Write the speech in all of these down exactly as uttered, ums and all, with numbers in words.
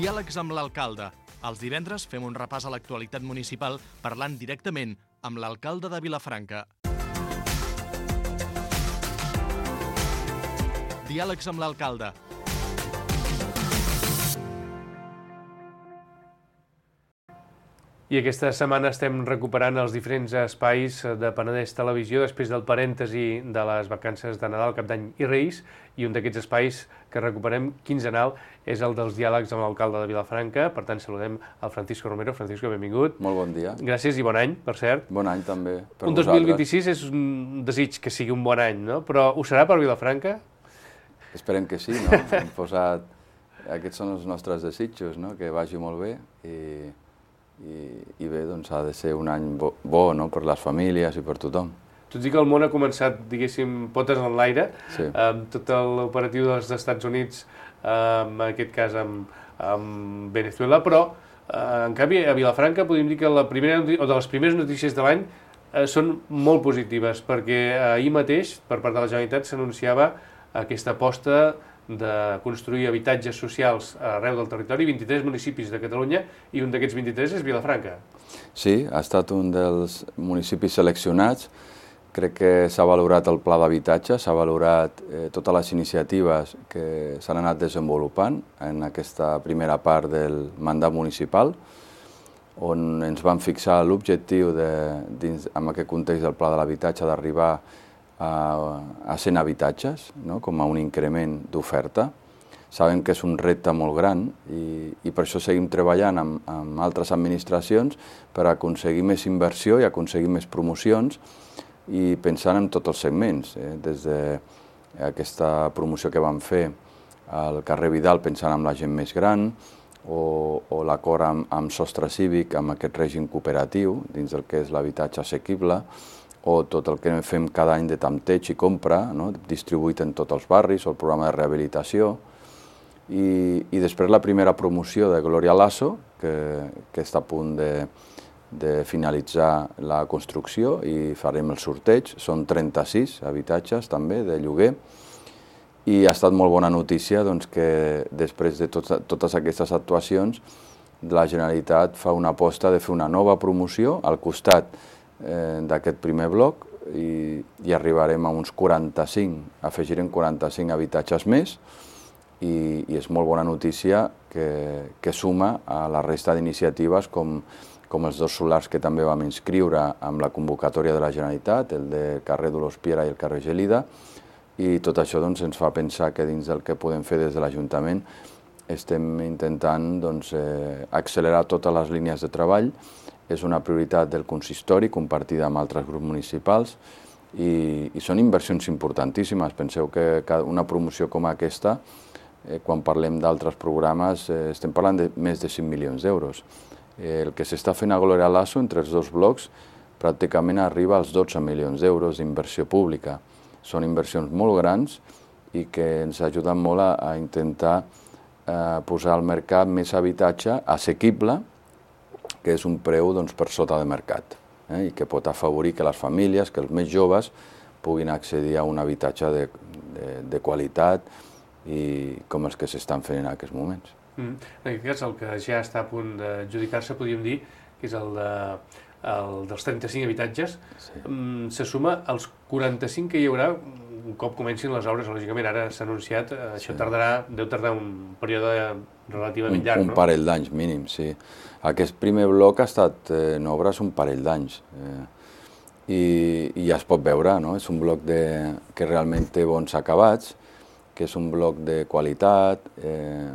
Diàlegs amb l'alcalde. Els divendres fem un repàs a l'actualitat municipal parlant directament amb l'alcalde de Vilafranca. Diàlegs amb l'alcalde. I aquesta setmana estem recuperant els diferents espais de Penedès Televisió després del parèntesi de les vacances de Nadal, Cap d'Any i Reis, i un d'aquests espais que recuperem quinzenal és el dels diàlegs amb l'alcalde de Vilafranca. Per tant, saludem el Francisco Romero. Francisco, benvingut. Molt bon dia. Gràcies i bon any, per cert. Bon any també per un dos mil vint-i-sis és un desig que sigui un bon any, no? Però ho serà per Vilafranca? Esperem que sí, no? Hem posat... Aquests són els nostres desitjos, no? Que vagi molt bé i... I, i bé, doncs ha de ser un any bo, bo no? Per les famílies i per tothom. Tot i que el món ha començat, diguéssim, potes en l'aire, sí. amb tot l'operatiu dels Estats Units, en aquest cas amb, amb Venezuela, però eh, en canvi a Vilafranca podríem dir que la primera o de les primeres notícies de l'any eh, són molt positives, perquè ahir mateix, per part de la Generalitat, s'anunciava aquesta aposta de construir habitatges socials arreu del territori, vint-i-tres municipis de Catalunya, i un d'aquests vint-i-tres és Vilafranca. Sí, ha estat un dels municipis seleccionats. Crec que s'ha valorat el pla d'habitatge, s'ha valorat eh, totes les iniciatives que s'han anat desenvolupant en aquesta primera part del mandat municipal, on ens vam fixar l'objectiu, en aquest context del pla de l'habitatge, d'arribar a cent habitatges, no? Com a un increment d'oferta. Sabem que és un repte molt gran i, i per això seguim treballant amb, amb altres administracions per aconseguir més inversió i aconseguir més promocions i pensant en tots els segments, eh? Des d'aquesta promoció que vam fer al carrer Vidal pensant en la gent més gran o, o l'acord amb, amb Sostre Cívic, amb aquest règim cooperatiu dins del que és l'habitatge assequible, o tot el que fem cada any de tanteig i compra, no? Distribuït en tots els barris, o el programa de rehabilitació. I, i després la primera promoció de Gloria Lasso, que, que està a punt de, de finalitzar la construcció i farem el sorteig. Són trenta-sis habitatges també de lloguer. I ha estat molt bona notícia doncs, que després de tot, totes aquestes actuacions la Generalitat fa una aposta de fer una nova promoció al costat d'aquest primer bloc i, i arribarem a uns quaranta-cinc, afegirem quaranta-cinc habitatges més i, i és molt bona notícia que, que suma a la resta d'iniciatives com, com els dos solars que també vam inscriure amb la convocatòria de la Generalitat, el de carrer Dolors Piera i el carrer Gelida, i tot això doncs, ens fa pensar que dins del que podem fer des de l'Ajuntament estem intentant doncs, eh, accelerar totes les línies de treball. És una prioritat del consistori, compartida amb altres grups municipals, i, i són inversions importantíssimes. Penseu que una promoció com aquesta, eh, quan parlem d'altres programes, eh, estem parlant de més de cinc milions d'euros. Eh, el que s'està fent a Gloria Lasso, entre els dos blocs, pràcticament arriba als dotze milions d'euros d'inversió pública. Són inversions molt grans i que ens ajuden molt a, a intentar eh, posar al mercat més habitatge assequible, que és un preu doncs, per sota de mercat, eh, i que pot afavorir que les famílies, que els més joves, puguin accedir a un habitatge de, de, de qualitat i com els que s'estan fent en aquests moments. Mm. En aquest cas, el que ja està a punt d'adjudicar-se, podríem dir, que és el, de, el dels trenta-cinc habitatges, sí. mm, se suma als quaranta-cinc que hi haurà un cop comencin les obres. Lògicament, ara s'ha anunciat, eh, això sí. tardarà, deu tardar un període relativament llarg, un, un no? Un parell d'anys mínim, sí. Aquest primer bloc ha estat eh, en obres un parell d'anys eh, i, i ja es pot veure, no? És un bloc de, que realment té bons acabats, que és un bloc de qualitat eh,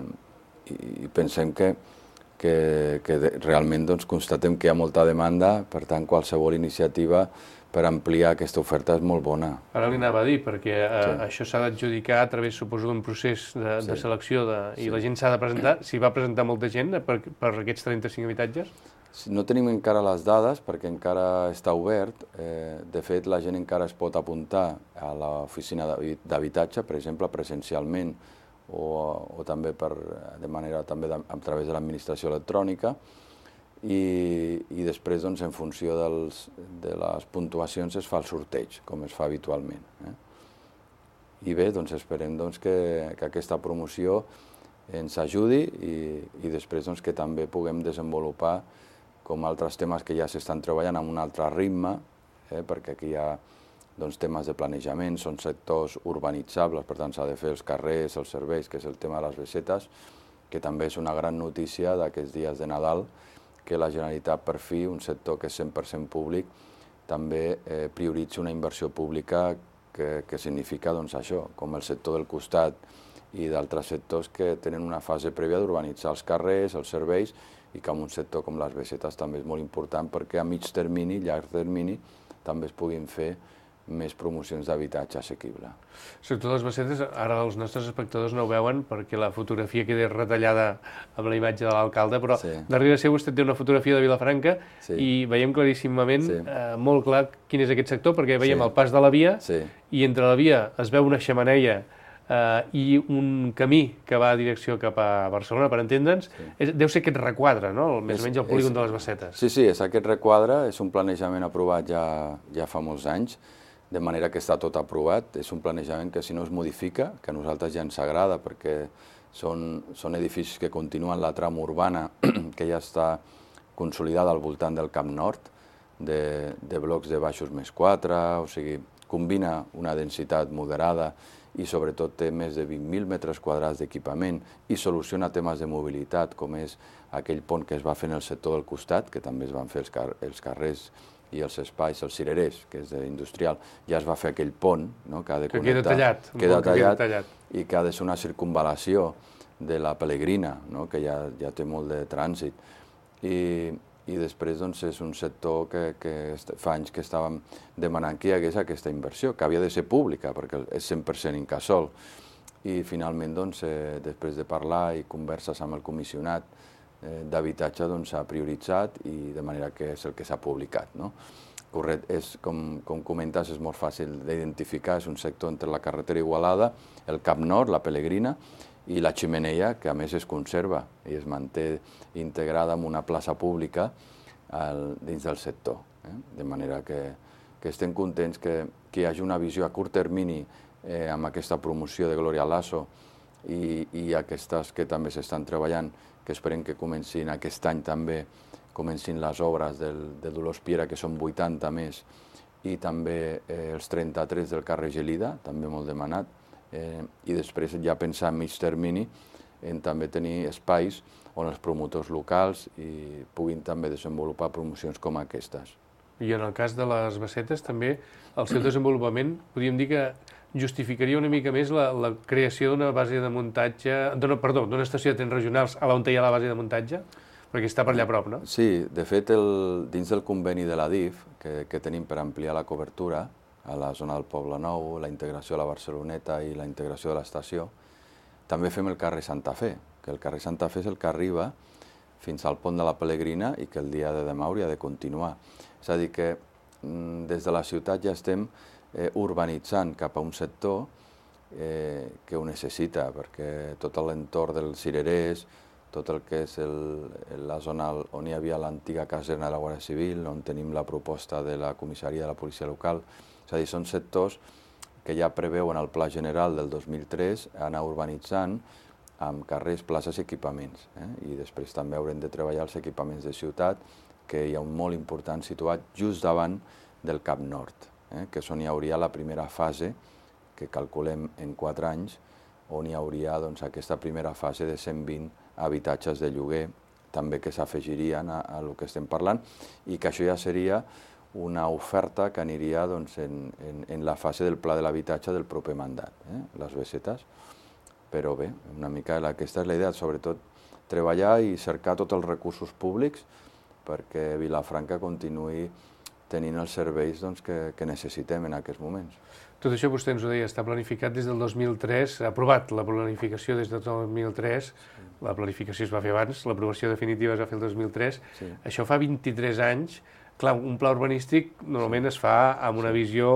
i, i pensem que, que, que de, realment doncs, constatem que hi ha molta demanda, per tant qualsevol iniciativa per ampliar aquesta oferta és molt bona. Ara li anava a dir, perquè eh, sí. això s'ha d'adjudicar a través, suposo, d'un procés de, sí. de selecció de, i sí. la gent s'ha de presentar. S'hi va presentar molta gent per, per aquests trenta-cinc habitatges? No tenim encara les dades perquè encara està obert. Eh, de fet, la gent encara es pot apuntar a l'oficina d'habitatge, per exemple, presencialment o, o també per, de manera també de, a través de l'administració electrònica. I, i després, doncs, en funció dels, de les puntuacions es fa el sorteig, com es fa habitualment. Eh? I bé, doncs, esperem doncs, que, que aquesta promoció ens ajudi i, i després doncs, que també puguem desenvolupar com altres temes que ja s'estan treballant amb un altre ritme, eh, perquè aquí hi ha doncs, temes de planejament, són sectors urbanitzables, per tant s'ha de fer els carrers, els serveis, que és el tema de les besetes, que també és una gran notícia d'aquests dies de Nadal, que la Generalitat, per fi, un sector que és cent per cent públic, també eh, prioritzi una inversió pública que, que significa doncs, això, com el sector del costat i d'altres sectors que tenen una fase prèvia d'urbanitzar els carrers, els serveis, i que en un sector com les besetes també és molt important perquè a mig termini, llarg termini, també es puguin fer més promocions d'habitatge assequible. Sector de les besetes, ara els nostres espectadors no ho veuen perquè la fotografia queda retallada amb la imatge de l'alcalde, però sí. Darrere seu vostè té una fotografia de Vilafranca sí. I veiem claríssimament, sí. eh, molt clar, quin és aquest sector, perquè veiem sí. El pas de la via sí. I entre la via es veu una xemeneia Uh, i un camí que va a direcció cap a Barcelona, per entendre'ns, sí. Deu ser aquest requadre, no? Més o menys el polígon és, de les Besetes. Sí, sí, és aquest requadre, és un planejament aprovat ja, ja fa molts anys, de manera que està tot aprovat, és un planejament que si no es modifica, que a nosaltres ja ens agrada, perquè són, són edificis que continuen la trama urbana, que ja està consolidada al voltant del Camp Nord, de, de blocs de baixos més quatre, o sigui, combina una densitat moderada i sobretot té més de vint mil metres quadrats d'equipament i soluciona temes de mobilitat, com és aquell pont que es va fer en el sector del costat, que també es van fer els, car els carrers i els espais, els cirerers, que és industrial, ja es va fer aquell pont, no?, que ha de connectar, que queda tallat, queda que tallat, queda tallat i que ha de ser una circunvalació de la Pelegrina, no?, que ja, ja té molt de trànsit. I, i després doncs, és un sector que, que fa anys que estàvem demanant que hi hagués aquesta inversió, que havia de ser pública, perquè és cent per cent Incasòl. I finalment, doncs, eh, després de parlar i converses amb el comissionat eh, d'habitatge, doncs, s'ha prioritzat i de manera que és el que s'ha publicat, no? Correcte, és, com, com comentes, és molt fàcil d'identificar, és un sector entre la carretera Igualada, el Camp Nord, la Pelegrina, i la xemeneia, que a més es conserva i es manté integrada en una plaça pública al, dins del sector. Eh? De manera que, que estem contents que, que hi hagi una visió a curt termini eh, amb aquesta promoció de Gloria Lasso i, i aquestes que també s'estan treballant, que esperem que comencin aquest any també, comencin les obres del, de Dolors Piera, que són vuitanta més, i també eh, els trenta-tres del carrer Gelida, també molt demanat, Eh, i després ja pensar a mig termini en també tenir espais on els promotors locals i puguin també desenvolupar promocions com aquestes. I en el cas de les Besetes també el seu desenvolupament podríem dir que justificaria una mica més la, la creació d'una base de muntatge, perdó, d'una estació de trens regionals a on hi ha la base de muntatge, perquè està per allà a prop, no? Sí, de fet, el, dins del conveni de la D I F que, que tenim per ampliar la cobertura a la zona del Poble Nou, la integració a la Barceloneta i la integració de l'estació, també fem el carrer Santa Fe, que el carrer Santa Fe és el que arriba fins al pont de la Pelegrina i que el dia de demà hauria de continuar. És a dir, que des de la ciutat ja estem eh, urbanitzant cap a un sector eh, que ho necessita, perquè tot l'entorn dels cirerers, tot el que és el, la zona on hi havia l'antiga caserna de la Guàrdia Civil, on tenim la proposta de la comissaria de la policia local. És a dir, són sectors que ja preveuen el Pla General del dos mil tres anar urbanitzant amb carrers, places i equipaments. Eh? I després també haurem de treballar els equipaments de ciutat, que hi ha un molt important situat just davant del Camp Nord, eh? que és on hi hauria la primera fase, que calculem en quatre anys, on hi hauria doncs, aquesta primera fase de cent vint habitatges de lloguer, també que s'afegirien a, a el que estem parlant, i que això ja seria una oferta que aniria doncs, en, en, en la fase del pla de l'habitatge del proper mandat, eh? les Besetes. Però bé, una mica aquesta és la idea, sobretot treballar i cercar tots els recursos públics perquè Vilafranca continuï tenint els serveis doncs, que, que necessitem en aquests moments. Tot això vostè ens ho deia, està planificat des del dos mil tres, ha aprovat la planificació des del dos mil tres, sí. La planificació es va fer abans, l'aprovació definitiva es va fer el dos mil tres, sí. Això fa vint-i-tres anys. Clar, un pla urbanístic normalment sí. Es fa amb una sí. Visió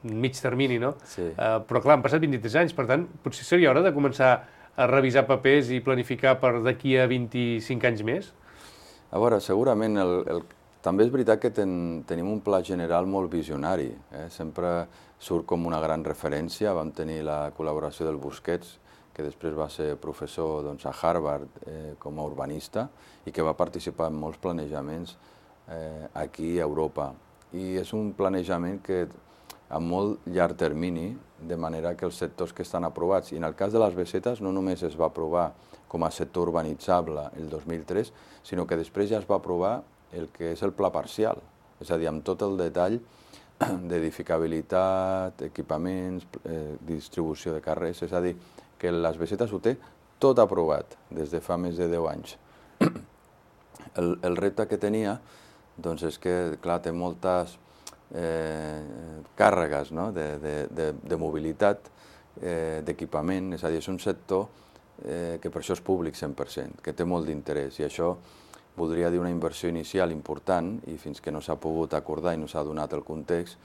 mig termini, no? Sí. Uh, però clar, han passat vint-i-tres anys, per tant, potser seria hora de començar a revisar papers i planificar per d'aquí a vint-i-cinc anys més? A veure, segurament, el, el, també és veritat que ten, tenim un pla general molt visionari, eh? Sempre surt com una gran referència, vam tenir la col·laboració del Busquets, que després va ser professor doncs, a Harvard eh, com a urbanista i que va participar en molts planejaments eh, aquí a Europa. I és un planejament que a molt llarg termini, de manera que els sectors que estan aprovats, i en el cas de les besetes no només es va aprovar com a sector urbanitzable el dos mil tres, sinó que després ja es va aprovar el que és el pla parcial, és a dir, amb tot el detall d'edificabilitat, equipaments, eh, distribució de carrers, és a dir, que les besetes ho té tot aprovat des de fa més de deu anys. El, el repte que tenia doncs és que, clar, té moltes eh, càrregues, no? de, de, de, de mobilitat, eh, d'equipament, és a dir, és un sector eh, que per això és públic cent per cent, que té molt d'interès, i això voldria dir una inversió inicial important, i fins que no s'ha pogut acordar i no s'ha donat el context,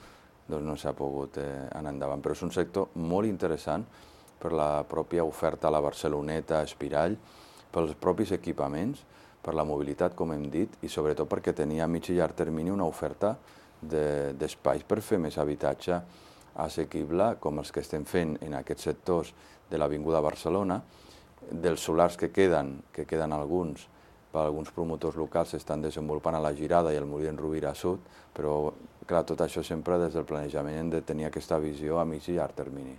doncs no s'ha pogut eh, anar endavant. Però és un sector molt interessant per la pròpia oferta a la Barceloneta, a Espirall, pels propis equipaments, per la mobilitat, com hem dit, i sobretot perquè tenia a mig i llarg termini una oferta d'espais per fer més habitatge assequible, com els que estem fent en aquests sectors de l'Avinguda Barcelona, dels solars que queden, que queden alguns, per alguns promotors locals s'estan desenvolupant a la Girada i al Molí d'en Rovira Sud, però, clar, tot això sempre des del planejament hem de tenir aquesta visió a mig i llarg termini.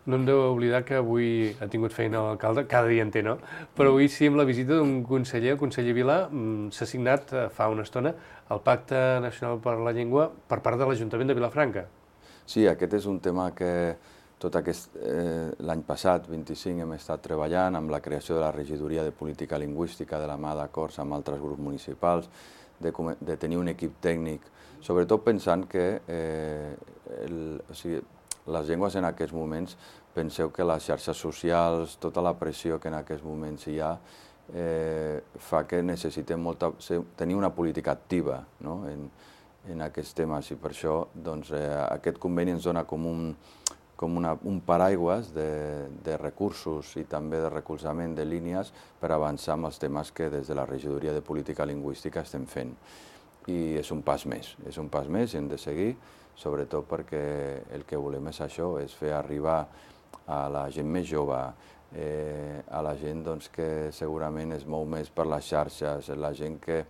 No hem d'oblidar que avui ha tingut feina l'alcalde, cada dia en té, no? Però avui sí, amb la visita d'un conseller, el conseller Vilà, s'ha signat fa una estona el Pacte Nacional per la Llengua per part de l'Ajuntament de Vilafranca. Sí, aquest és un tema que tot aquest eh, l'any passat, vint-i-cinc, hem estat treballant amb la creació de la regidoria de política lingüística de la mà d'acords amb altres grups municipals, de, de tenir un equip tècnic, sobretot pensant que eh, el, o sigui, les llengües en aquests moments, penseu que les xarxes socials, tota la pressió que en aquests moments hi ha, eh, fa que necessitem molta, tenir una política activa, no? en, en aquests temes, i per això doncs, eh, aquest conveni ens dona com un, com una, un paraigües de, de recursos i també de recolzament de línies per avançar amb els temes que des de la regidoria de política lingüística estem fent. I és un pas més, és un pas més i hem de seguir, sobretot perquè el que volem és això, és fer arribar a la gent més jove, eh, a la gent doncs, que segurament es mou més per les xarxes, la gent que,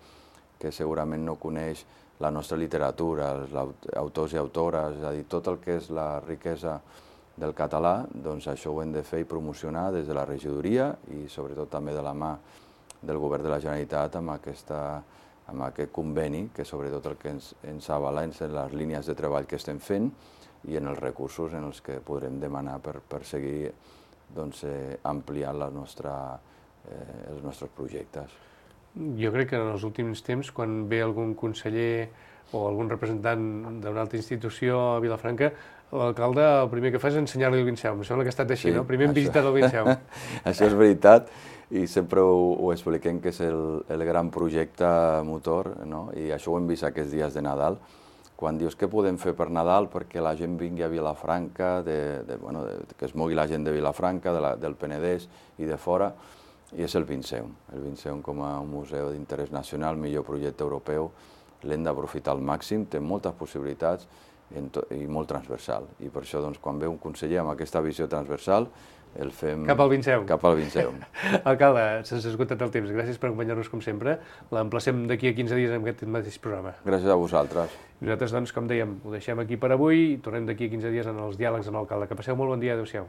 que segurament no coneix la nostra literatura, els autors i autores, és a dir, tot el que és la riquesa del català, doncs això ho hem de fer i promocionar des de la regidoria i sobretot també de la mà del Govern de la Generalitat amb aquesta amb aquest conveni, que sobretot el que ens, ens avala és en les línies de treball que estem fent i en els recursos en els que podrem demanar per, per seguir doncs, eh, ampliant la nostra, eh, els nostres projectes. Jo crec que en els últims temps, quan ve algun conseller o algun representant d'una altra institució a Vilafranca, l'alcalde el primer que fa és ensenyar-li el Vinceau. Em sembla que ha estat així, sí, no? Primer hem això... visitat el Vinceau. Això és veritat, i sempre ho, ho expliquem que és el, el gran projecte motor, no? I això ho hem vist aquests dies de Nadal, quan dius què podem fer per Nadal perquè la gent vingui a Vilafranca, de, de, bueno, de, que es mogui la gent de Vilafranca, de la, del Penedès i de fora, i és el Vinceau. El Vinceau com a un museu d'interès nacional, millor projecte europeu, l'hem d'aprofitar al màxim, té moltes possibilitats i molt transversal. I per això, doncs, quan ve un conseller amb aquesta visió transversal, el fem... Cap al Vinceau. Cap al Vinceau. Alcalde, se'ns ha esgotat el temps. Gràcies per acompanyar-nos com sempre. L'emplacem d'aquí a quinze dies en aquest mateix programa. Gràcies a vosaltres. Nosaltres, doncs, com dèiem, ho deixem aquí per avui i tornem d'aquí a quinze dies en els diàlegs amb l'alcalde. Que passeu molt bon dia. Adéu-siau.